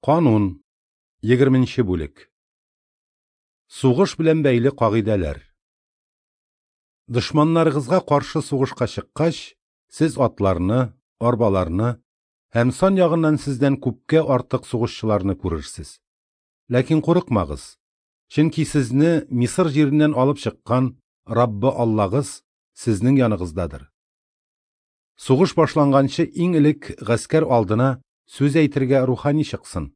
Канун, 20 бүлек. Сугыш белән бәйле кагыйдәләр. Дошманнарыгызга каршы сугышка чыккач, сез атларны, арбаларны һәм сан ягыннан сездән күпкә артык сугышчыларны күрерсез. Ләкин курыкмагыз, чөнки сезне Мисыр җиреннән алып чыккан Раббы Аллагыз сезнең яныгыздадыр. Сугыш башланганчы иң элек гаскәр алдына сүз әйтергә рухани чыксын.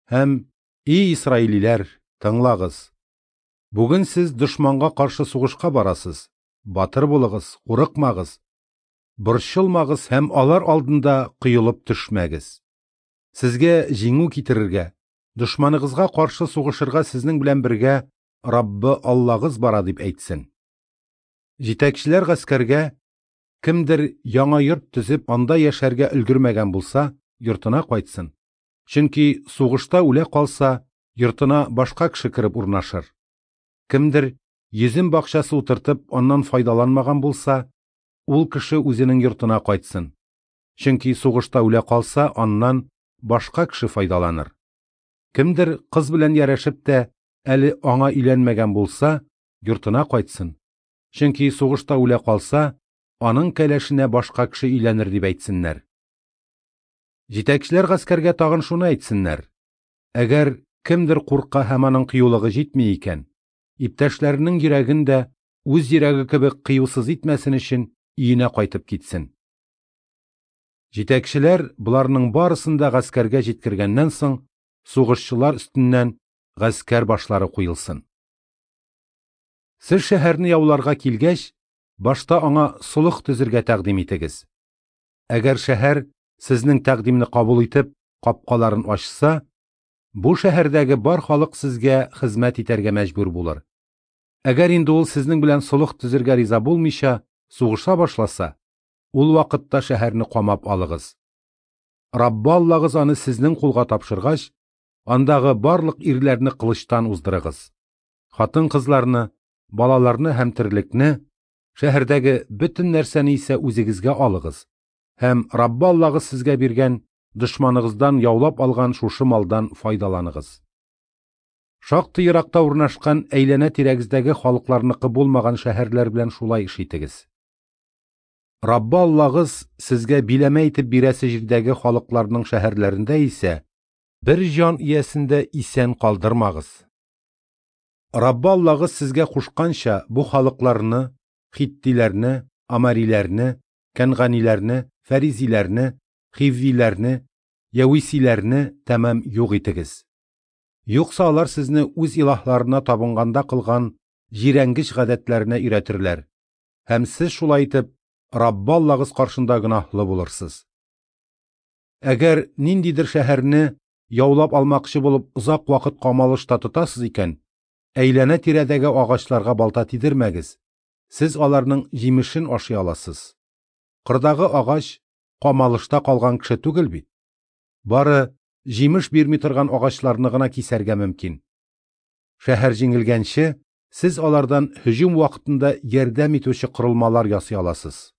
Һәм: "И исраилиләр, тыңлагыз! Бүген сез дошманга каршы сугышка барасыз. Батыр булыгыз, курыкмагыз, борчылмагыз һәм алар алдында коелып төшмәгез. Сезгә җиңү китерергә, дошманыгызга каршы сугышырга сезнең белән бергә Раббы Аллагыз бара", дип әйтсен. Җитәкчеләр гаскәргә: "Кемдер яңа йорт төзеп, анда яшәргә өлгермәгән булса, йортына кайтсын. Чөнки сугышта үлә калса, йортына башка кеше кереп урнашыр. Кемдер йөзем бакчасы утыртып, аннан файдаланмаган булса, ул кеше үзенең йортына кайтсын. Чөнки сугышта үлә калса, аннан башка кеше файдаланыр. Кемдер кыз белән ярәшеп тә, әле аңа өйләнмәгән булса, йортына кайтсын. Чөнки сугышта үлә калса, аның кәләшенә башка кеше өйләнер", дип әйтсеннәр. Җитәкчеләр гаскәргә тагын шуны әйтсеннәр: "Әгәр кемдер курка һәм аның кыюлыгы җитми икән, иптәшләренең йөрәген дә үз йөрәге кебек кыюсыз итмәсен өчен өенә кайтып китсен". Җитәкчеләр боларның барысын да гаскәргә җиткергәннән соң, сугышчылар өстеннән гаскәр башлары куелсын. Сез шәһәрне яуларга килгәч, башта аңа солых төзергә тәкъдим итегез. Әгәр шәһәр сезнең тәкъдимне кабул итеп, капкаларын ачса, бу шәһәрдәге бар халык сезгә хезмәт итәргә мәҗбүр булыр. Әгәр инде ул сезнең белән солых төзергә риза булмыйча сугыша башласа, ул вакытта шәһәрне камап алыгыз. Раббы Аллагыз аны сезнең кулга тапшыргач, андагы барлык ирләрне кылычтан уздырыгыз. Хатын-кызларны, балаларны һәм терлекне, шәһәрдәге бөтен нәрсәне исә үзегезгә алыгыз һәм Раббы Аллагыз сезгә биргән дошманыгыздан яулап алган шушы малдан файдаланыгыз. Шактый еракта урнашкан әйләнә-тирәгездәге халыкларныкы булмаган шәһәрләр белән шулай эш итегез. Раббы Аллагыз сезгә биләмә итеп бирәсе җирдәге халыкларның шәһәрләрендә исә бер җан иясен дә исән калдырмагыз. Раббы Аллагыз сезгә кушканча бу халыкларны, хиттиләрне, амариләрне, кәнганиләрне, фәризиләрне, хиввиләрне, явисиләрне тәмам юк итегез. Юкса алар сезне үз илаһларына табынганда кылган җирәнгеч гадәтләренә өйрәтерләр, һәм сез шулай итеп Раббы Аллагыз каршында гөнаһлы булырсыз. Әгәр ниндидер шәһәрне яулап алмакчы булып озак вакыт камалышта тотасыз икән, әйләнә-тирәдәге агачларга балта тидермәгез. Сез аларның җимешен ашый аласыз. Кырдагы агач камалышта калган кеше түгел бит. Бары җимеш бирми торган агачларны гына кисәргә мөмкин. Шәһәр җиңелгәнче, сез алардан һөҗүм вакытында ярдәм итүче корылмалар ясый аласыз.